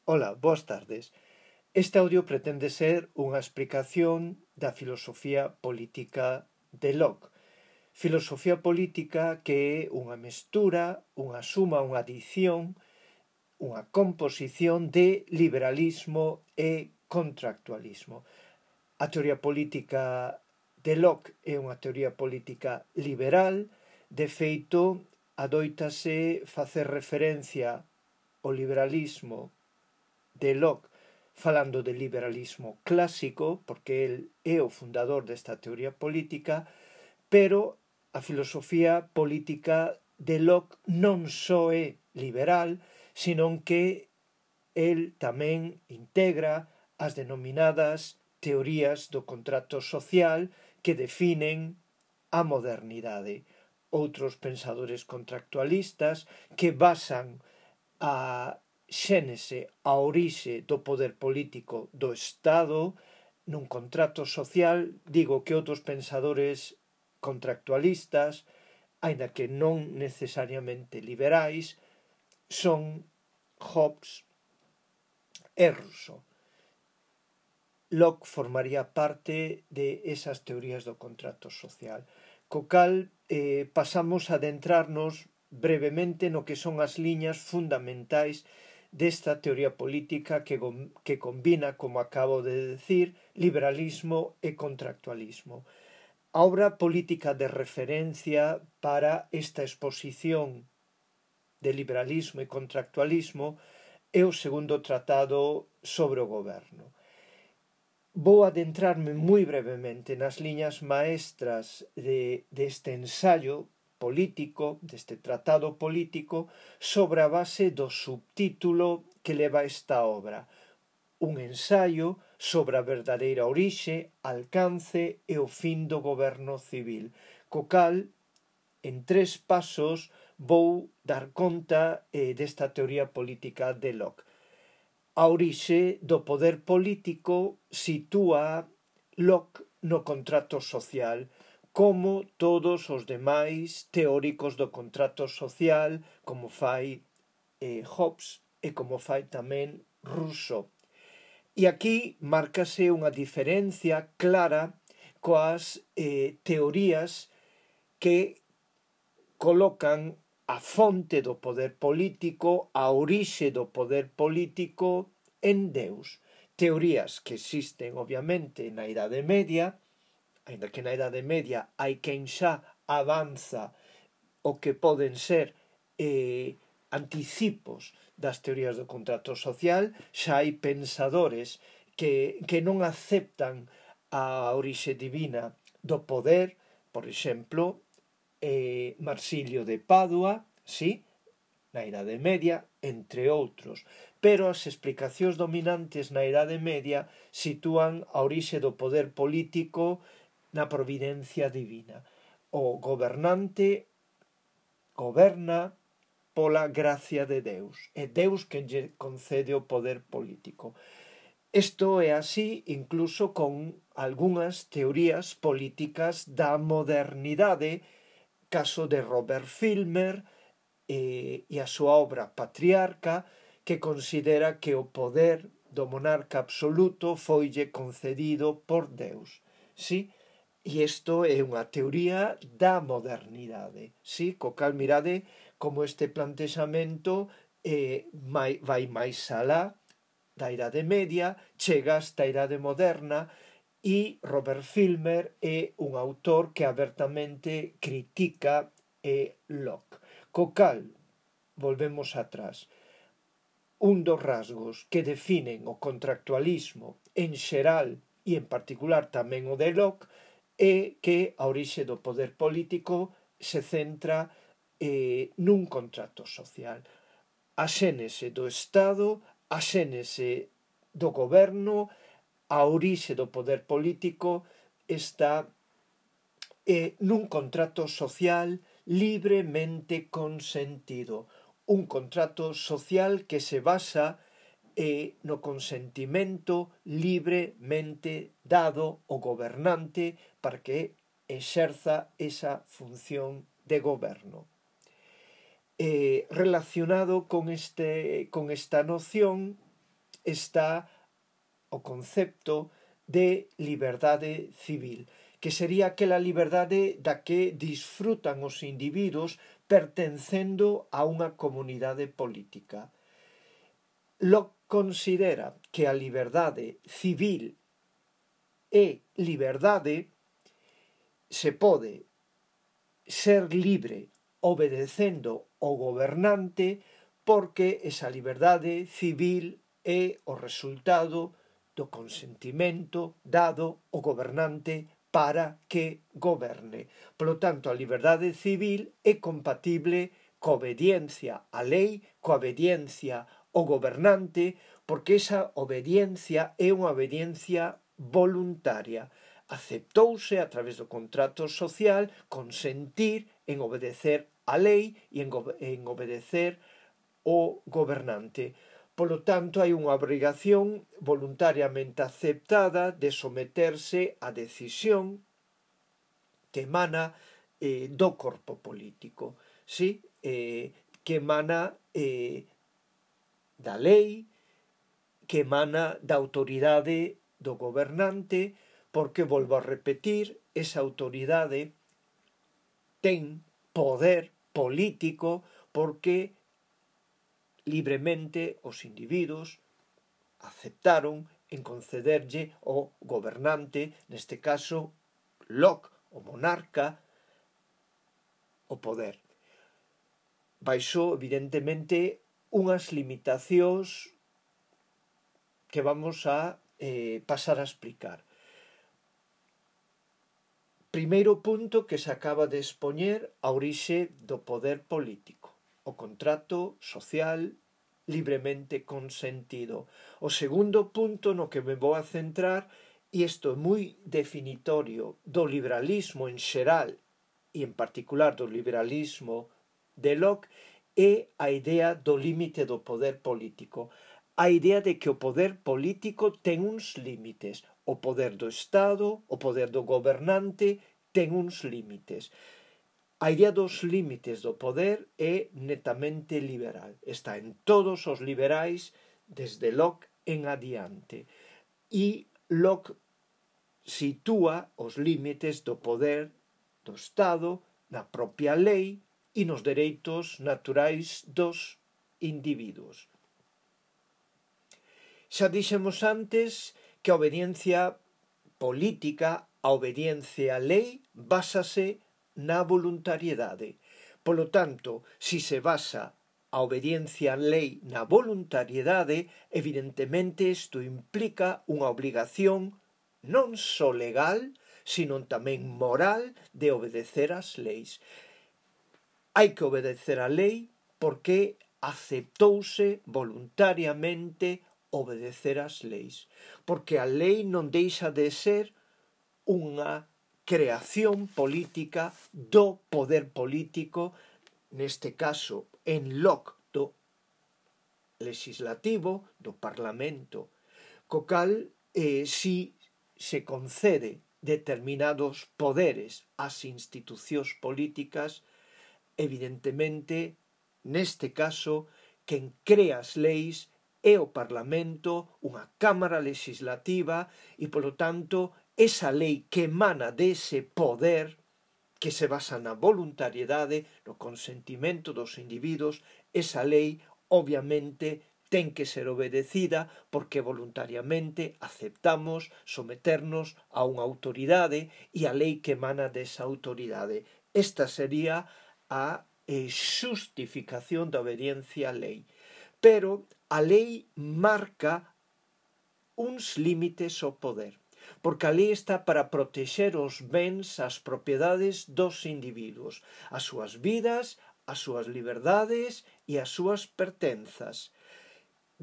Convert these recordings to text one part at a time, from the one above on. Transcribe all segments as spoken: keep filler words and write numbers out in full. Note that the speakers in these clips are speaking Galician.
Ola, boas tardes. Este audio pretende ser unha explicación da filosofía política de Locke. Filosofía política que é unha mestura, unha suma, unha adición, unha composición de liberalismo e contractualismo. A teoría política de Locke é unha teoría política liberal, de feito, adoítase facer referencia ao liberalismo de Locke falando de liberalismo clásico, porque el é o fundador desta teoría política, pero a filosofía política de Locke non só é liberal, senón que el tamén integra as denominadas teorías do contrato social que definen a modernidade. Outros pensadores contractualistas que basan a xénese, a orixe do poder político do Estado nun contrato social. Digo que outros pensadores contractualistas, aínda que non necesariamente liberais, son Hobbes e Rousseau. Locke formaría parte de esas teorías do contrato social. Co cal eh, pasamos a adentrarnos brevemente no que son as liñas fundamentais desta teoría política que, que combina, como acabo de decir, liberalismo e contractualismo. A obra política de referencia para esta exposición de liberalismo e contractualismo é o segundo tratado sobre o goberno. Vou adentrarme moi brevemente nas liñas maestras de, deste ensaio político, deste tratado político, sobre a base do subtítulo que leva esta obra. Un ensaio sobre a verdadeira orixe, alcance e o fin do goberno civil, co cal, en tres pasos, vou dar conta eh, desta teoría política de Locke. A orixe do poder político sitúa Locke no contrato social, como todos os demais teóricos do contrato social, como fai eh, Hobbes e como fai tamén Rousseau. E aquí márcase unha diferencia clara coas eh, teorías que colocan a fonte do poder político, a orixe do poder político en Deus. Teorías que existen, obviamente, na Idade Media, ainda que na Idade Media hai quen xa avanza o que poden ser eh, anticipos das teorías do contrato social. Xa hai pensadores que, que non aceptan a orixe divina do poder, por exemplo, eh, Marsilio de Padua, sí, na Idade Media, entre outros. Pero as explicacións dominantes na Idade Media sitúan a orixe do poder político na providencia divina. O gobernante goberna pola gracia de Deus. É Deus que lle concede o poder político. Isto é así incluso con algunhas teorías políticas da modernidade, caso de Robert Filmer e, e a súa obra Patriarca, que considera que o poder do monarca absoluto foille concedido por Deus. Sí? E isto é unha teoría da modernidade, sí? Co cal mirade como este plantexamento eh, vai, vai máis alá da Idade Media, chega hasta a Idade Moderna, e Robert Filmer é un autor que abertamente critica eh, Locke. Co cal, volvemos atrás, un dos rasgos que definen o contractualismo en xeral e en particular tamén o de Locke é que a orixe do poder político se centra eh, nun contrato social. A xénese do Estado, a xénese do goberno, a orixe do poder político está eh, nun contrato social libremente consentido. Un contrato social que se basa e no consentimento libremente dado ao gobernante para que exerza esa función de goberno. Eh, relacionado con, este, con esta noción está o concepto de liberdade civil, que sería aquela liberdade da que disfrutan os individuos pertencendo a unha comunidade política. Locke considera que a liberdade civil e liberdade se pode ser libre obedecendo o gobernante, porque esa liberdade civil é o resultado do consentimento dado ao gobernante para que goberne. Polo tanto, a liberdade civil é compatible coa obediencia á lei, coa obediencia ao gobernante, porque esa obediencia é unha obediencia voluntaria. Aceptouse a través do contrato social consentir en obedecer a lei e en, en obedecer o gobernante. Polo tanto, hai unha obrigación voluntariamente aceptada de someterse á decisión que emana eh, do corpo político, sí? eh, que emana eh, da lei, que emana da autoridade do gobernante, porque, volvo a repetir, esa autoridade ten poder político porque libremente os individuos aceptaron en concederlle ao gobernante, neste caso Locke, o monarca, o poder. Baixo, evidentemente, unhas limitacións que vamos a eh, pasar a explicar. Primeiro punto que se acaba de expoñer, a orixe do poder político, o contrato social libremente consentido. O segundo punto no que me vou a centrar, e isto é moi definitorio do liberalismo en xeral e en particular do liberalismo de Locke, é a idea do límite do poder político. A idea de que o poder político ten uns límites. O poder do Estado, o poder do gobernante, ten uns límites. A idea dos límites do poder é netamente liberal. Está en todos os liberais desde Locke en adiante. E Locke sitúa os límites do poder do Estado na propia lei e nos dereitos naturais dos individuos. Xa dixemos antes que a obediencia política, a obediencia á lei, básase na voluntariedade. Polo tanto, si se basa a obediencia á lei na voluntariedade, evidentemente isto implica unha obrigación non só legal, sino tamén moral de obedecer as leis. Hai que obedecer a lei porque aceptouse voluntariamente obedecer as leis, porque a lei non deixa de ser unha creación política do poder político, neste caso en Locke do legislativo, do Parlamento, co cal eh, si se concede determinados poderes ás institucións políticas, evidentemente, neste caso, quen crea as leis é o Parlamento, unha cámara legislativa, e, polo tanto, esa lei que emana dese poder que se basa na voluntariedade, no consentimento dos individuos, esa lei, obviamente, ten que ser obedecida porque voluntariamente aceptamos someternos a unha autoridade e a lei que emana desa autoridade. Esta sería a eh, xustificación da obediencia á lei. Pero a lei marca uns límites ao poder, porque a lei está para protexer os bens, as propiedades dos individuos, as súas vidas, as súas liberdades e as súas pertenzas.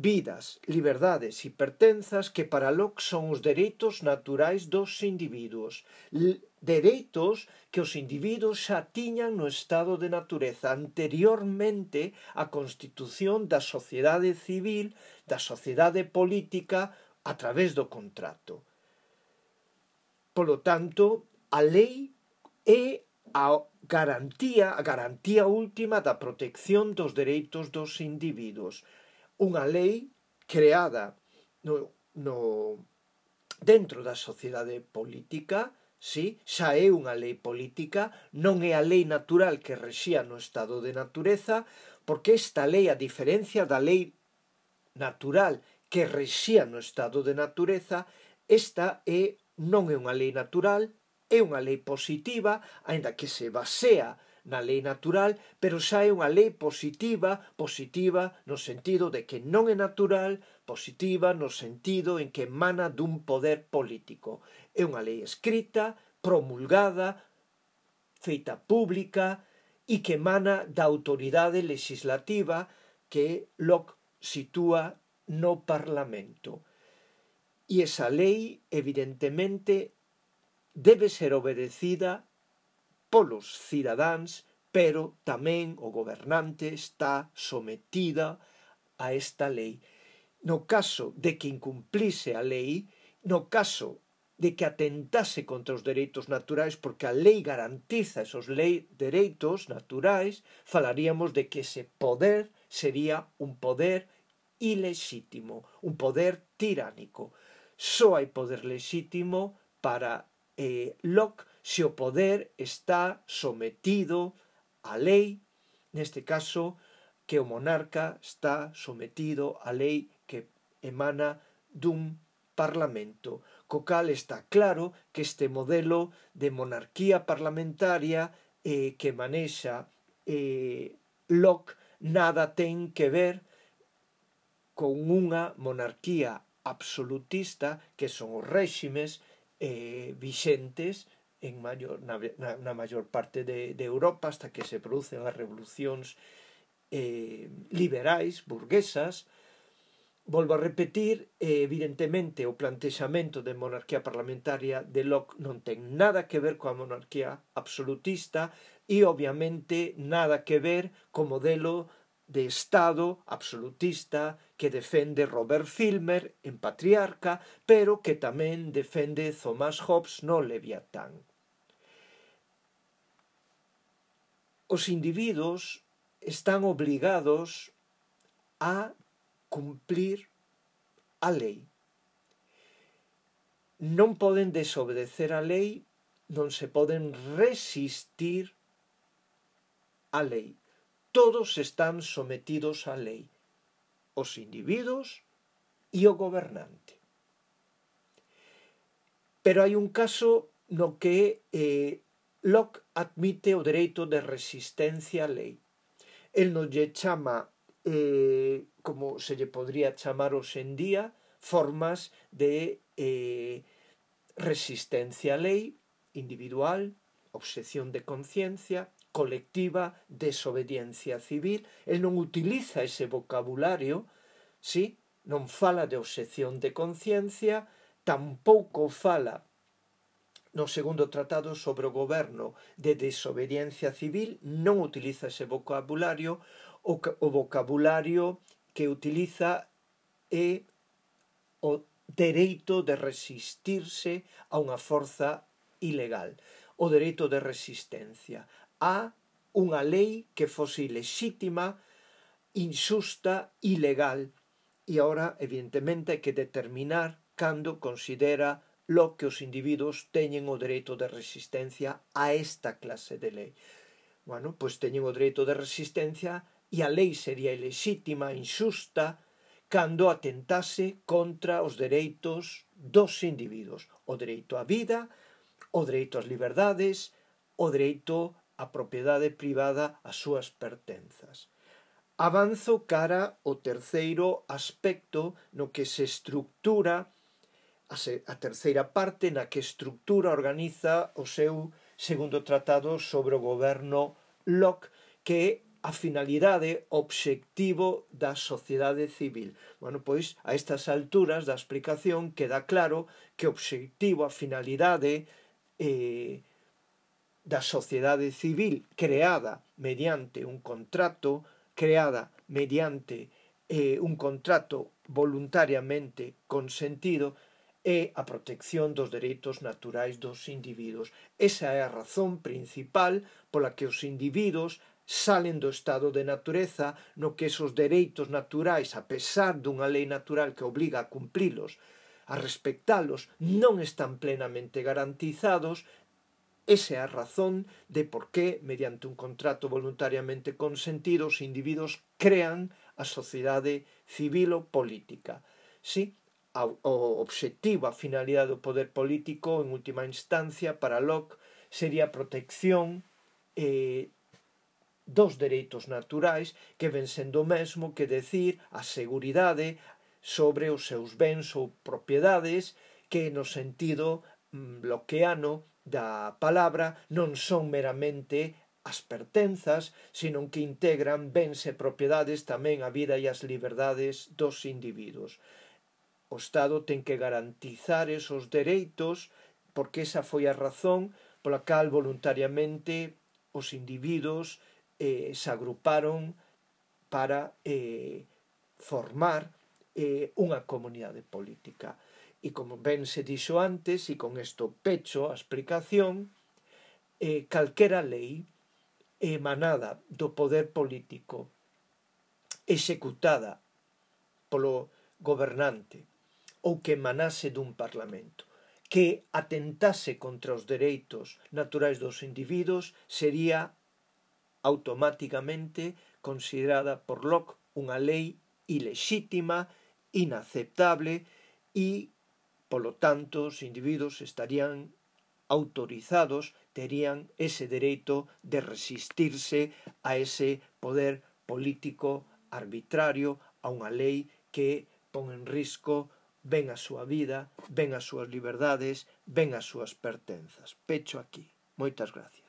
Vidas, liberdades e pertenzas que para Locke son os dereitos naturais dos individuos. L- dereitos que os individuos xa tiñan no estado de natureza anteriormente á constitución da sociedade civil, da sociedade política a través do contrato. Polo tanto, a lei é a garantía, a garantía última da protección dos dereitos dos individuos. Unha lei creada no, no, dentro da sociedade política, sí, xa é unha lei política, non é a lei natural que rexía no estado de natureza, porque esta lei, a diferencia da lei natural que rexía no estado de natureza, esta é, non é unha lei natural, é unha lei positiva, aínda que se basea na lei natural, pero xa é unha lei positiva, positiva no sentido de que non é natural, positiva no sentido en que emana dun poder político. É unha lei escrita, promulgada, feita pública e que emana da autoridade legislativa que Locke sitúa no Parlamento. E esa lei, evidentemente, debe ser obedecida polos cidadáns, pero tamén o gobernante está sometida a esta lei. No caso de que incumplise a lei, no caso de que atentase contra os dereitos naturais, porque a lei garantiza esos lei, dereitos naturais, falaríamos de que ese poder sería un poder ilexítimo, un poder tiránico. Só hai poder lexítimo para eh, Locke se o poder está sometido á lei, neste caso que o monarca está sometido á lei que emana dun parlamento, co cal está claro que este modelo de monarquía parlamentaria eh, que manexa eh, Locke nada ten que ver con unha monarquía absolutista que son os réximes eh, vixentes en maior, na, na, na maior parte de, de Europa hasta que se producen as revolucións eh, liberais, burguesas. Volvo a repetir, eh, evidentemente o plantexamento de monarquía parlamentaria de Locke non ten nada que ver coa monarquía absolutista e obviamente nada que ver co modelo de Estado absolutista que defende Robert Filmer en Patriarca, pero que tamén defende Thomas Hobbes no Leviatán. Os individuos están obligados a cumplir a lei. Non poden desobedecer a lei, non se poden resistir a lei. Todos están sometidos á lei, os individuos e o gobernante. Pero hai un caso no que eh, Locke admite o dereito de resistencia á lei. El non lle chama, eh, como se lle podría chamar hoxe en día, formas de eh, resistencia á lei individual, obxección de conciencia, colectiva, desobediencia civil. El non utiliza ese vocabulario, sí? Non fala de obxección de conciencia, tampouco fala no segundo tratado sobre o goberno de desobediencia civil, non utiliza ese vocabulario. O, o vocabulario que utiliza é o dereito de resistirse a unha forza ilegal, o dereito de resistencia a unha lei que fose ilexítima, injusta, ilegal. E agora, evidentemente, hai que determinar cando considera lo que os individuos teñen o dereito de resistencia a esta clase de lei. Bueno, pois teñen o dereito de resistencia e a lei sería ilexítima, injusta, cando atentase contra os dereitos dos individuos. O dereito á vida, o dereito ás liberdades, o dereito á propiedade privada, ás súas pertenzas. Avanzo cara ao terceiro aspecto no que se estructura, a terceira parte na que estructura, organiza o seu segundo tratado sobre o goberno Locke, que é a finalidade, obxectivo da sociedade civil. Bueno, pois, a estas alturas da explicación queda claro que o obxectivo, a finalidade eh, da sociedade civil creada mediante un contrato, creada mediante eh, un contrato voluntariamente consentido, é a protección dos dereitos naturais dos individuos. Esa é a razón principal pola que os individuos salen do estado de natureza no que esos dereitos naturais, a pesar dunha lei natural que obliga a cumprilos, a respectalos, non están plenamente garantizados. Esa é a razón de por que, mediante un contrato voluntariamente consentido, os individuos crean a sociedade civil ou política. Si, o obxectivo, a finalidade do poder político, en última instancia, para Locke, sería a protección eh, dos dereitos naturais, que ven sendo o mesmo que decir a seguridade sobre os seus bens ou propiedades, que no sentido mm, lockeano da palabra non son meramente as pertenzas, sino que integran bens e propiedades tamén a vida e as liberdades dos individuos. O Estado ten que garantizar esos dereitos porque esa foi a razón pola cal voluntariamente os individuos eh, se agruparon para eh, formar eh, unha comunidade política. E como ben se dixo antes, e con isto pecho a explicación, eh, calquera lei emanada do poder político executada polo gobernante ou que emanase dun parlamento que atentase contra os dereitos naturais dos individuos sería automáticamente considerada por Locke unha lei ilexítima, inaceptable e, polo tanto, os individuos estarían autorizados, terían ese dereito de resistirse a ese poder político arbitrario, a unha lei que pon en risco ben a súa vida, ben as súas liberdades, ben as súas pertenzas. Pecho aquí. Moitas gracias.